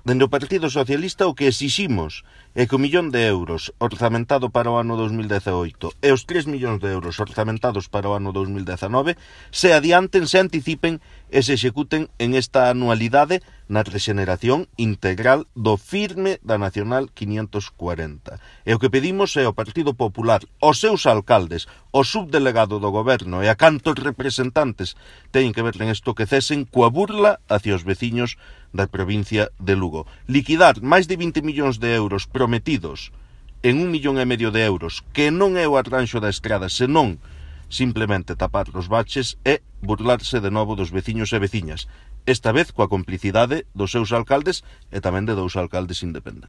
Dende o Partido Socialista o que exiximos é que o 1.000.000 de euros orzamentado para o ano 2018 e os 3 millóns de euros orzamentados para o ano 2019 se adianten, se anticipen e se executen en esta anualidade na rexeneración integral do firme da Nacional 540. E o que pedimos é ao Partido Popular, aos seus alcaldes, ao subdelegado do goberno e a cantos representantes teñen que ver en isto que cesen coa burla hacia os veciños da provincia de Lugo. Liquidar máis de 20 millóns de euros prometidos en 1,5 millón de euros, que non é o arranxo da estrada, senón simplemente tapar os baches e burlarse de novo dos veciños e veciñas, esta vez coa complicidade dos seus alcaldes e tamén de 2 alcaldes independentes.